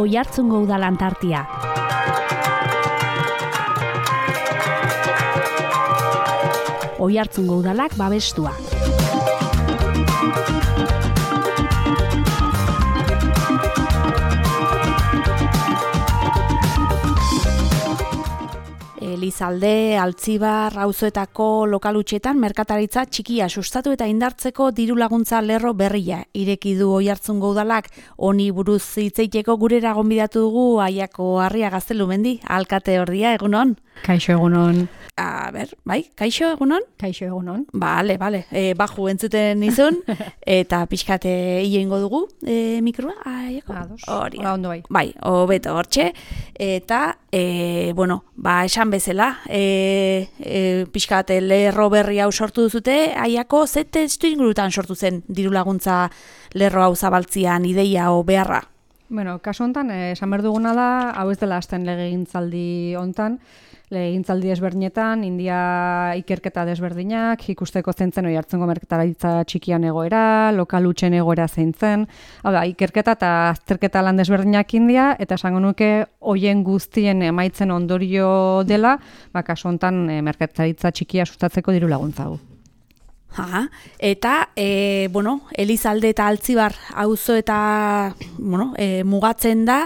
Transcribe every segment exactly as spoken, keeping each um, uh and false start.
Oiartzungo udalan tartia. Oiartzungo udalak babestua. Elizalde, Altzibar, auzoetako lokalutxetan merkataritza txikia sustatu eta indartzeko diru laguntza lerro berria ireki du Oiartzungo udalak. Honi buruz hitz egiteko gurera gonbidatu dugu Aiako Harria Gaztelumendi, alkate ordia, egunon? Kaixo egunon. A ber, bai, kaixo egunon? Kaixo egunon. Bale, bale, e, baju entzuten izun, eta pixkate hiengo dugu e, mikroa, Aiako? Ados, Hori. Hora ondo bai. Bai, hobeto hortxe, eta, e, bueno, ba, esan bezala, e, e, pixkate lerro berri hau sortu duzute, Aiako ze testu ingurutan sortu zen diru laguntza lerro hau zabaltzian ideia o beharra? Bueno, kaso hontan, eh, esan behar duguna da, hau ez dela hasten legegintzaldi hontan, legegintzaldi desberdinetan, India ikerketa desberdinak, ikusteko zentzen Oiartzungo merkataritza txikian egoera, lokal hutsen egoera zeintzen, hau da, ikerketa eta azterketa lan desberdinak India, eta esango nuke hoien guztien emaitzen ondorio dela, ba, kaso hontan eh, merkataritza txikia sustatzeko diru laguntza hau. Aha, eta, e, bueno, Elizalde eta Altzibar auzo eta, bueno, e, mugatzen da,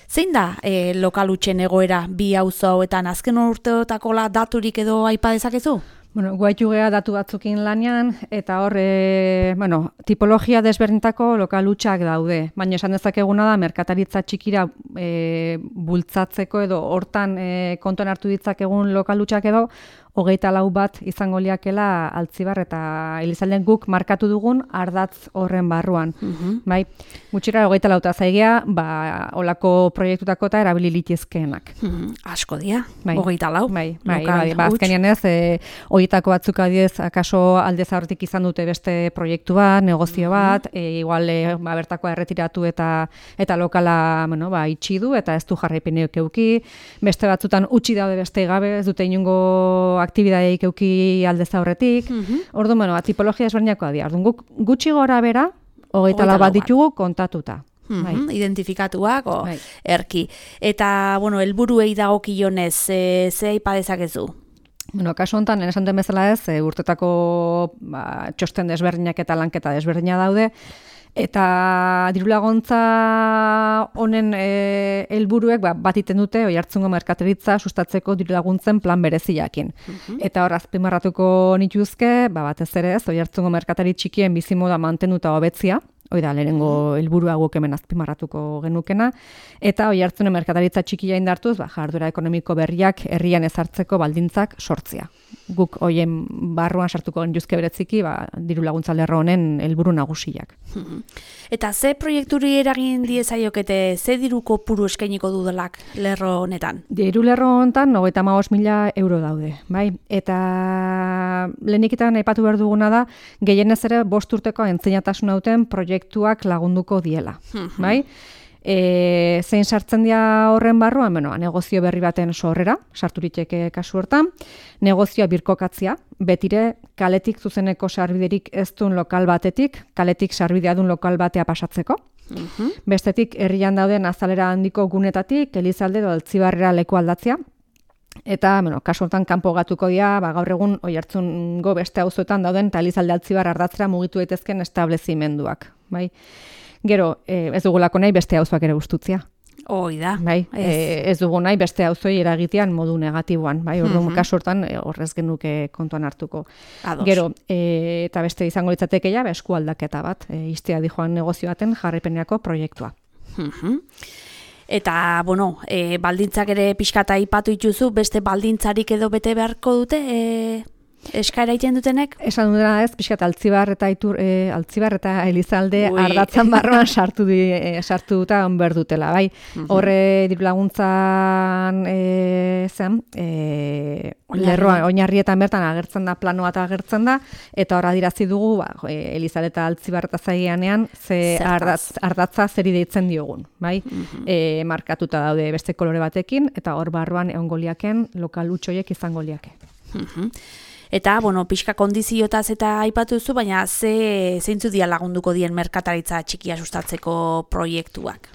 zein da e, lokal hutsen egoera bi auzo hauetan azken urteotako daturik edo aipa dezakezu? Bueno, guaitu gea datu batzukin lanean, eta hor, e, bueno, tipologia desberdintako lokal hutsak daude. Baina esan dezakeguna da, merkataritza txikira e, bultzatzeko edo hortan e, kontuan hartu ditzakegun lokal hutsak edo, hogeita lau bat izango liakela Altzibar eta Elizalden guk markatu dugun ardatz horren barruan. Uh-huh. Bai, gutxira hogeita lauta zaigea, ba, olako proiektutako eta erabili litezkeenak. Uh-huh. Asko dia, bai. hogeita lau. Bai, bai, bai, ba, azkenean ez, e, horietako batzuk adiez, akaso alde zaurtik izan dute beste proiektu bat, negozio bat, uh-huh. e, igual e, ba, bertakoa erretiratu eta eta lokala, bueno, ba, itxi du eta ez du jarraipeneok euki, beste batzutan utzi daude beste gabe, ez dute inungo aktibidadeik euki alde zaurretik. Uh-huh. Orduan, bueno, tipologia ezberdinak dira. Orduan, guk gutxi gora bera, hogeita lau bat ditugu kontatuta. Uh-huh. Bai. Identifikatuak, o, bai. erki. Eta, bueno, helburuei dagokionez, e, ze aipa dezakezu? Bueno, kasu honetan, esan den bezala ez, e, urtetako ba, txosten desberdinak eta lanketa desberdina daude, eta dirulaguntza honen e, helburuek ba, bat iten dute Oiartzungo merkataritza sustatzeko dirulaguntzen plan bereziakin. Uh-huh. Eta hor azpimarratuko nituzke, ba, batez ere ez, Oiartzungo merkatari txikien bizimoda mantenuta hobetzia, hoi da, lehenengo helburua guk hemen azpimarratuko genukena, eta Oiartzunen merkataritza txikia indartuz, ba, jarduera ekonomiko berriak herrian ezartzeko baldintzak sortzia. Guk hoien barruan sartuko genituzke bereziki, ba, diru laguntza lerro honen helburu nagusiak. Eta ze proiekturi eragin diezaiokete, ze diru kopuru eskainiko dudalak lerro honetan? Diru lerro honetan, hogeita hamabost mila euro daude, bai? Eta lehenikitan aipatu behar duguna da, gehienez ere bost urteko entzeinatasun duten proiektuak lagunduko diela, bai? E, zein sartzen dira horren barruan, bueno, negozio berri baten sorrera, sarturiteke kasu hortan, negozioa birkokatzia, betire kaletik zuzeneko sarbiderik ez duen lokal batetik, kaletik sarbidea duen lokal batea pasatzeko. Uh-huh. Bestetik, herrian dauden azalera handiko gunetatik, Elizalde edo Altzibarrera leku aldatzea, eta, bueno, kasu honetan kanpo gatuko dira, ba, gaur egun Oiartzungo beste auzoetan dauden, eta Elizalde Altzibar ardatzera mugitu daitezken establezimenduak, bai? Gero, eh, ez dugulako nahi beste auzoak ere gustutzea. Hoi da. Bai, ez. Eh, ez dugu nahi beste auzoi eragitean modu negatiboan, bai, orduan uh-huh. kasu hortan eh, horrez genuke kontuan hartuko. Ados. Gero, eh, eta beste izango litzateke ja, esku aldaketa bat, eh, iztea dijoan negozio baten jarraipenerako proiektua. Uh-huh. Eta, bueno, e, baldintzak ere pixkata aipatu dituzu, beste baldintzarik edo bete beharko dute, e, eskaera egiten dutenek? Esan dutena ez, pixkat Altzibar eta Itur, e, Altzibar eta Elizalde Ui. ardatzan barruan sartu di, e, sartu duta onber dutela, bai. Uh-huh. Horre diru laguntzan e, zen, e, lerroan, oinarrietan bertan agertzen da, plano bat agertzen da, eta hor adirazi dugu, ba, e, Elizalde eta Altzibar eta zaigeanean, ze ardatz, ardatza zeri deitzen diogun, bai. Uh-huh. E, markatuta daude beste kolore batekin, eta hor barruan egon goliaken lokal hutsoiek izango liake. Uh-huh. Eta, bueno, pixka kondiziotaz eta aipatu duzu, baina ze zeintzu dia lagunduko dien merkataritza txikia sustatzeko proiektuak?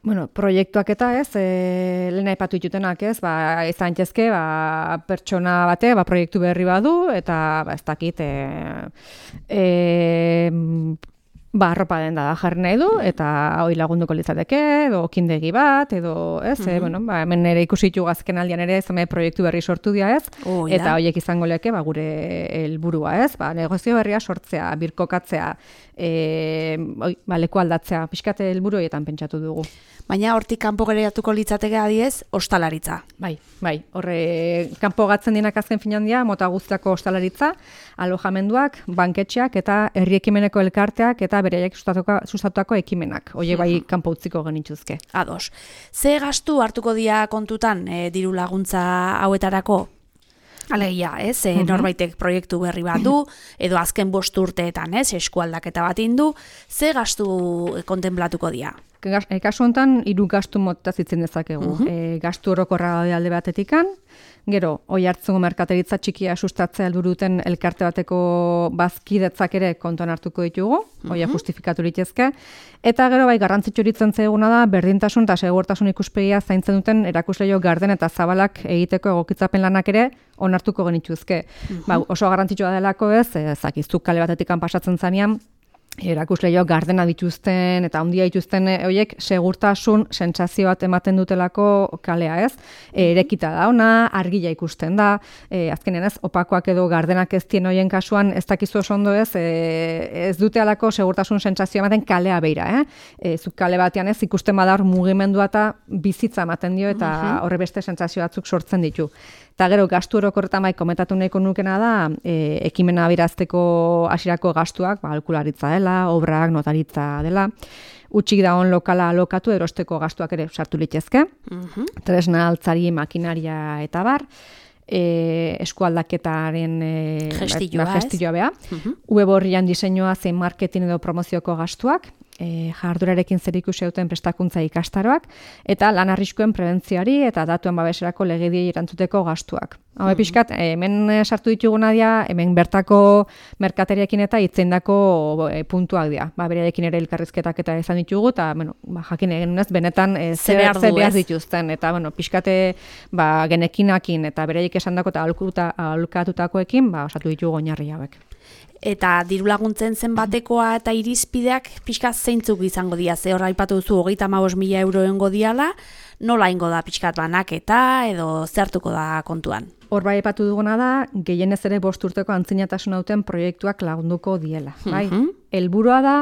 Bueno, proiektuak eta ez, e, lehen aipatu ditutenak ez, ba, izan txezke, ba, pertsona bate, ba, proiektu berri badu, eta ba, ez dakit, e, e, ba, arropa den da jarri nahi du, eta hori lagunduko litzateke, edo kindegi bat, edo, ez, mm-hmm. e, bueno, ba, hemen ere ikusitu azken aldian ere, zame proiektu berri sortu dira, ez, oh, eta horiek izango leke, ba, gure helburua, ez, ba, negozio berria sortzea, birkokatzea, e, oi, ba, leku aldatzea, pixkate helburu horietan pentsatu dugu. Baina hortik kanpo geratuko litzateke adiez, ostalaritza. Bai, bai, horre kanpo gatzen dinak azken finan dira, mota guztiako ostalaritza, alojamenduak, banketxeak eta herri ekimeneko elkarteak eta beraiek sustatutako ekimenak. Hoiek bai kanpo utziko genituzke. Ados. Ze gastu hartuko dira kontutan e, diru laguntza hauetarako? Alegia, ez, e, uh-huh. norbaitek proiektu berri bat du, edo azken bost urteetan, ez, eskualdaketa bat indu, ze gastu kontenplatuko dira? E, kasu honetan, hiru gastu mota zitzen dezakegu. Uh-huh. E, gastu orokorra alde batetikan, gero, oi hartzungo merkateritza txikia sustatzea helburuten elkarte bateko bazkidetzak ere kontuan hartuko ditugu, uh-huh. oia justifikatu litezke, eta gero bai garrantzitsu iritzen zaiguna da berdintasun eta segurtasun ikuspegia zaintzen duten erakusleio garden eta zabalak egiteko egokitzapen lanak ere onartuko genituzke. Uh-huh. Ba, oso garrantzitsua delako ez, ezakizuk kale batetikan pasatzen zanean, erakusleio gardena dituzten eta handia dituzten horiek segurtasun sentsazio bat ematen dutelako kalea, ez? E, erekita da ona, argia ikusten da, e, azkenean ez, opakoak edo gardenak ez dien horien kasuan ez dakizu oso ondo ez, e, ez dute alako segurtasun sentsazio ematen kalea beira, eh? E, zuk kale batean ez ikusten bada hor mugimendua eta bizitza ematen dio eta uh-huh. horre beste sentsazio batzuk sortzen ditu. Eta gero, gastu orokorretan bai komentatu nahiko nukena da, e, ekimena abirazteko hasierako gastuak, ba, alkularitza dela, obrak, notaritza dela, utxik dagoen lokala alokatu erosteko gastuak ere sartu litezke, uh-huh. tresna, altzari, makinaria eta bar, e, eskualdaketaren e, gestilloa, ba, gestilloa beha, uh-huh. web horrian diseinua zein marketing edo promozioko gastuak, E, jardurarekin zerikusi duten prestakuntza ikastaroak, eta lan arriskuen prebentzioari eta datuen babeserako legediei erantzuteko gastuak. Hau mm-hmm. pixkat, hemen sartu dituguna dira, hemen bertako merkateriekin eta itzeindako e, puntuak dira. Ba, berearekin ere elkarrizketak eta izan ditugu, eta bueno, ba, jakin egin unez, benetan e, zer behar dituzten. Eta bueno, pixkate ba, genekinakin eta bereik esandako eta alukatutakoekin ba, osatu ditugu oinarri hauek. Eta diru laguntzen zenbatekoa eta irizpideak pixka zeintzuk izango dira, ze hor aipatu duzu hogeita hamabost mila euro engo diala, nola ingo da pixkat banaketa edo zertuko da kontuan? Hor bai aipatu duguna da, gehienez ere bost urteko antzinatasun hauten proiektuak lagunduko diela. Bai? Uh-huh. Helburua da,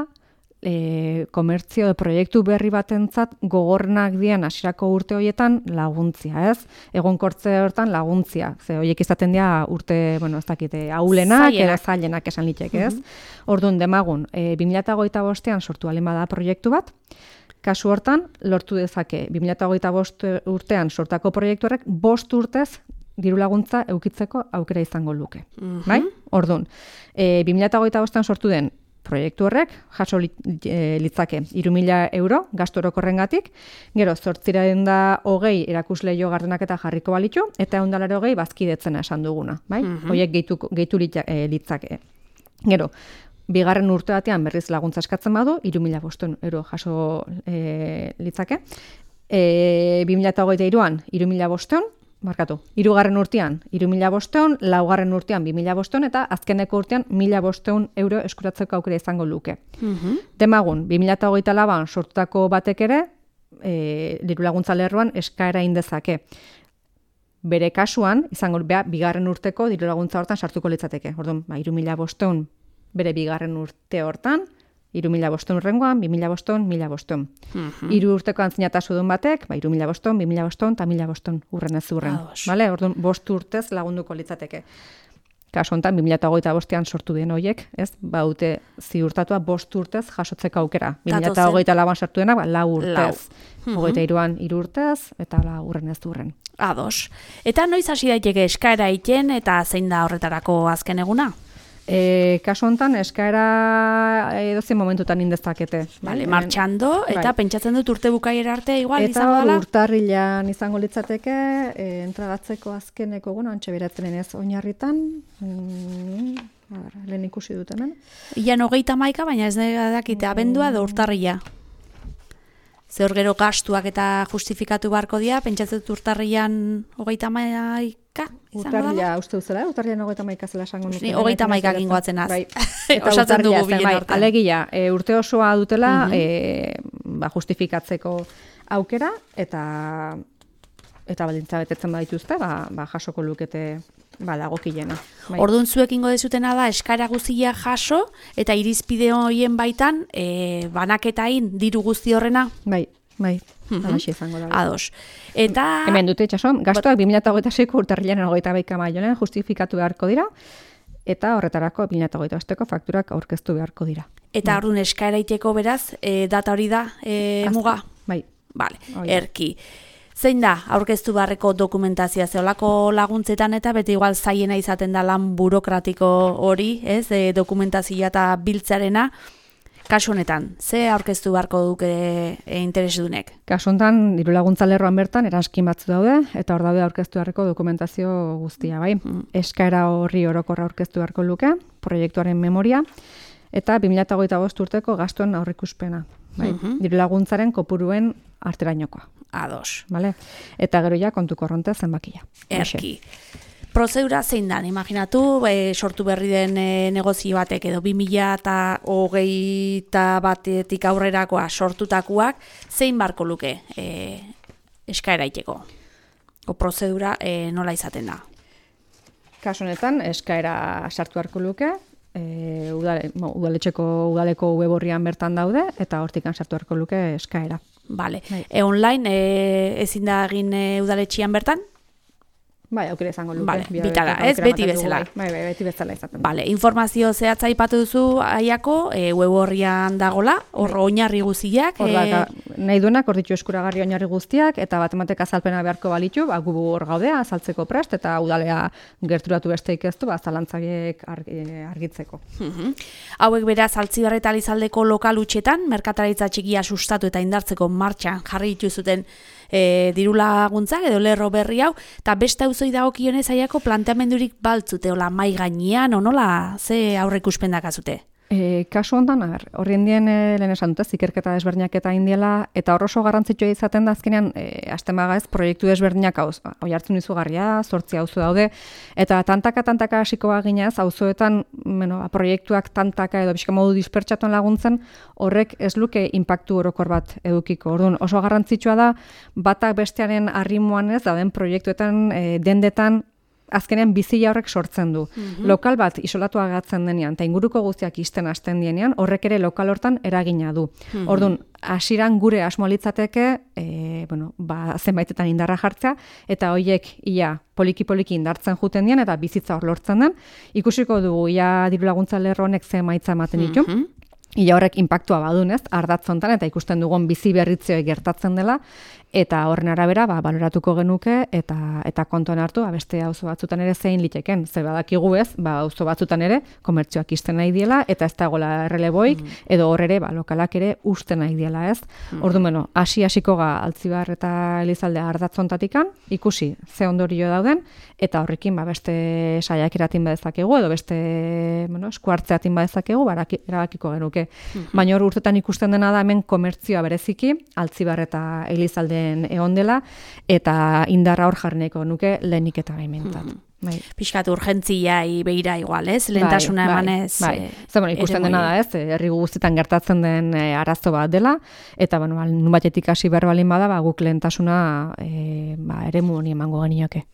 e, komertzio edo proiektu berri batentzat gogorrenak dian hasierako urte horietan laguntzia, ez? Egonkortze hortan laguntzia. Ze horiek izaten dira urte, bueno, ez dakite, ahulenak edo zailenak esan litek, ez? Uh-huh. Orduan demagun, e, bi mila hogeita bostean sortu alen bada proiektu bat, kasu hortan lortu dezake bi mila hogeita bost urtean sortako proiektu horrek bost urtez diru laguntza eukitzeko aukera izango luke. Uh-huh. Bai? Orduan, e, bi mila hogeita bostean sortu den proiektu horrek jaso litzake hiru mila euro gastu orokorrengatik, gero zortziehun eta hogei erakusleio gardenak eta jarriko balitu, eta ehun eta laurogei bazkidetzena esan duguna, bai? Uh-huh. Horiek gehitu, gehitu litzake. Gero, bigarren urte batean berriz laguntza eskatzen badu, hiru mila bostehun euro jaso e, litzake. E, bi mila hogeita hiruan hiru mila bostehun, markatu, hirugarren urtean hiru mila bostehun, laugarren urtean bi mila bostehun eta azkeneko urtean mila bostehun euro eskuratzeko aukera izango luke. Uh-huh. Demagun, bi mila hogeita lauan sortutako batek ere, e, diru laguntza lerroan eskaera indezake. Bere kasuan, izango beha, bigarren urteko diru laguntza hortan sartuko litzateke. Orduan, ba, hiru mila bostehun bere bigarren urte hortan, hiru mila bostehun rengoan, bi mila bostehun, mila bostehun. Uh-huh. Hiru urteko antzinatasun batek, ba, hiru mila bostehun, bi mila bostehun eta mila bostehun urren ez urren. Vale? Orduan, bost urtez lagunduko litzateke. Kasu honetan, bi mila hogeita bostean sortu den horiek, ez? Ba, dute ziurtatua bost urtez jasotzeko aukera. bi mila hogeita lauan sartu dena, ba, lau urtez. Uh-huh. Hogeita hiruan hiru urtez, eta la urren ez urren. Ados. Eta noiz hasi daiteke eskaera egiten eta zein da horretarako azken eguna? E, kasu honetan, eskaera edozein momentutan indezakete. Vale, martxando, eta bai. Pentsatzen dut urte bukaera arte igual eta izango dela? Eta urtarrilan izango litzateke, e, entregatzeko azkeneko, bueno, antxe beratzen ez oinarritan, mm, ber, lehen ikusi dut hemen. Ian hogeita maika, baina ez dakite abendua edo urtarrila. Zehor gero gastuak eta justifikatu beharko dira, pentsatzen urtarrian hogeita hamaika? Urtarria, uste duzela, urtarrian hogeita hamaika zela esango nuke. Hogeita hamaika gingoatzen az. Bai. Osatzen dugu bilen artean. Alegia, e, urte osoa dutela uh-huh. e, ba, justifikatzeko aukera, eta eta baldintza betetzen badituzte, ba, ba, jasoko lukete ba, dagokilena. Bai. Orduan zuek ingo dezutena da, eskaera guztia jaso, eta irizpide horien baitan, e, banaketain diru guzti horrena? Bai, bai. Mhm. Alaxe izango da. Ados. Eta... Hemen dute itxaso, gastuak bi mila hogeita seiko urtarrilean hogeita hamaika maionen justifikatu beharko dira, eta horretarako bi mila hogeita bosteko fakturak aurkeztu beharko dira. Eta orduan eskaera iteko beraz, e, data hori da, e, muga? Bai. Vale, erki. Zein da, aurkeztu beharreko dokumentazioa zeolako laguntzetan eta beti igual zaiena izaten da lan burokratiko hori, ez, e, dokumentazioa eta biltzarena, kasu honetan, ze aurkeztu beharko duke e, interesdunek? Kasu honetan, diru laguntza lerroan bertan, eranskin batzu daude, eta hor daude aurkeztu beharreko dokumentazio guztia, bai? Mm. Eskaera horri orokorra aurkeztu beharko luke, proiektuaren memoria, eta bi mila hogeita bost urteko gastuen aurrikuspena, bai? Mm-hmm. Diru laguntzaren kopuruen arterainokoa. Ados. Vale? Eta gero ja kontu korronte zenbakia. Erki. Prozedura zein dan, imaginatu, e, sortu berri den e, negozio batek edo bi mila hogeita batetik aurrerakoa sortutakoak, zein barko luke e, eskaera iteko? O prozedura e, nola izaten da? Kasu honetan, eskaera sartu beharko luke, e, udale, mo, udaletxeko udaleko web orrian bertan daude, eta hortikan sartu beharko luke eskaera. Vale. E, online e, ezin da egin e, udaletxian bertan? Bai, aukera izango luke. Vale, bitala, ez beti bezala. Bai, bai, beti bezala izaten. Vale, informazio zehatza aipatu duzu aiako, e, web orrian dagola, hor oinarri guztiak. Hor da, e... nahi duenak, hor ditu eskuragarri oinarri guztiak, eta batematek azalpena beharko balitu, ba, gu hor gaudea, azaltzeko prest, eta udalea gerturatu besteik ez du, ba, zalantzaiek argitzeko. Uh-huh. Hauek beraz, Altzibarri eta Elizaldeko lokal utxetan, merkataritza txikia sustatu eta indartzeko martxan jarri dituzuten e, diru laguntzak edo lerro berri hau, eta beste auzoi dagokionez aiako planteamendurik baltzute, ola mai gainean, onola, ze aurreikuspen dakazute? E, kasu hontan, horrien dien e, lehen esan dute, zikerketa desberdinak eta indiela, eta hor oso garrantzitsua izaten da azkenean, e, aztemaga ez, proiektu desberdinak hauz, oi hartzun izugarria, zortzi auzo daude, eta tantaka-tantaka hasikoa ginez, auzoetan, bueno, proiektuak tantaka edo bizka modu dispertsatuan laguntzen, horrek ez luke inpaktu orokor bat edukiko. Orduan, oso garrantzitsua da, batak bestearen arrimoan ez, dauden proiektuetan, e, dendetan, azkenean bizia horrek sortzen du. Mm-hmm. Lokal bat isolatua gatzen denean, eta inguruko guztiak isten hasten dienean, horrek ere lokal hortan eragina du. Mm-hmm. Orduan, hasiran gure asmoa litzateke, e, bueno, ba, zenbaitetan indarra jartzea, eta hoiek ia poliki-poliki indartzen juten dien, eta bizitza hor lortzen den. Ikusiko dugu, ia diru laguntza lerro honek ze emaitza ematen ditu. Mm-hmm. Ia horrek inpaktua badunez, ardatzontan, eta ikusten dugun bizi berritzeo gertatzen dela, eta horren arabera ba, baloratuko genuke eta eta kontuan hartu ba, beste auzo batzutan ere zein liteken. Ze badakigu ez, ba, auzo batzutan ere komertzioak isten nahi diela eta ez dagoela erreleboik, mm. edo hor ere ba, lokalak ere usten nahi diela ez. Mm. Orduan, bueno, hasi hasiko ga Altzibar eta Elizalde ardatzontatikan, ikusi ze ondorio dauden, eta horrekin ba, beste saiakeratin badezakegu, edo beste bueno, eskuartzeatin badezakegu, ba, erabakiko genuke. Mm. Baina hor urtetan ikusten dena da hemen komertzioa bereziki, Altzibar eta Elizalde egon dela, eta indarra hor jarneko nuke lehenik eta gaimentzat. Mm. Bai. Piskat urgentziai behira igual, ez? Lehentasuna bai, emanez. Bai, bai. Zer, bueno, ikusten dena da, ez? Herri guztietan gertatzen den e, arazo bat dela, eta, bueno, nun batetik hasi behar balin bada, ba, guk lehentasuna e, ba, eremu honi emango genioke.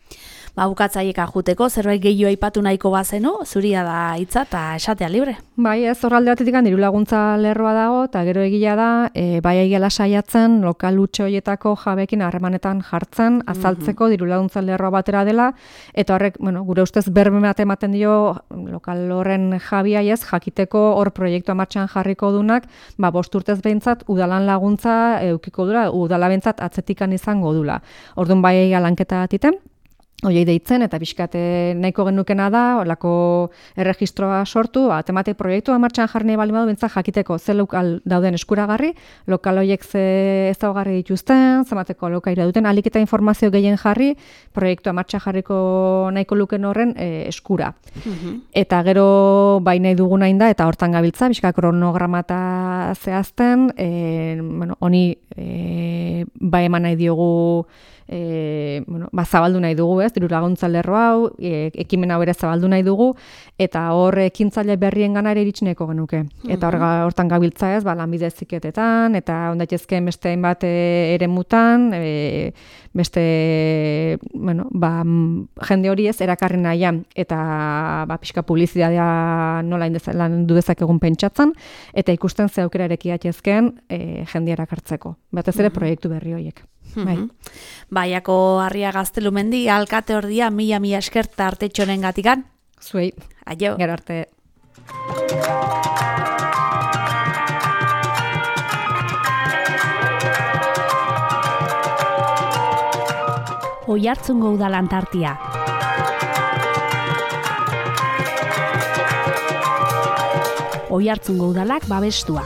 Ba, bukatzaieka juteko, zerbait gehiago aipatu nahiko bazenu, zuria da hitza eta esatea libre. Bai, ez horralde batetik diru laguntza lerroa dago, eta gero egia da, e, bai egiala saiatzen, lokal utxe horietako jabekin harremanetan jartzen, azaltzeko diru laguntza lerroa batera dela, eta horrek, bueno, gure ustez berme bat ematen dio lokal horren jabiai ez, jakiteko hor proiektua martxan jarriko dunak, ba, bost urtez behintzat, udalan laguntza eukiko dula, udala behintzat atzetikan izango dula. Orduan bai egia lanketa atiten, Oiei deitzen, eta pixkate nahiko genukena da, olako erregistroa sortu, ba, temate proiektua martxan jarri nahi bali badu, bintzak jakiteko ze lokal dauden eskuragarri, lokal horiek ze ezaugarri dituzten, zemateko lokaira duten, alik eta informazio gehien jarri, proiektua martxan jarriko nahiko luken horren e, eskura. Mm-hmm. Eta gero bai nahi dugu nahi da, eta hortan gabiltza, pixka kronograma eta zehazten, e, bueno, honi e, ba eman nahi diogu, e, bueno, ba, zabaldu nahi dugu, ez, diru laguntza lerro hau, e, ekimen hau ere zabaldu nahi dugu, eta hor ekintzaile berrien gana ere iritsineko genuke. Eta hor, hortan gabiltza ez, ba, lanbide heziketetan, eta ondaitezkeen beste hainbat ere mutan, e, beste, bueno, ba, jende hori ez, erakarri nahian, eta ba, pixka publizitatea nola landu dezakegun pentsatzen, eta ikusten ze aukera erekiatezkeen e, jende erakartzeko. Batez ere proiektu berri horiek. Bai. Baiako Harria Gaztelumendi, alkate ordia mila mila esker tartetxonen gatikan. Zuei. Aio. Gero arte. Oiartzungo udalan tartia. Oiartzungo udalak babestua.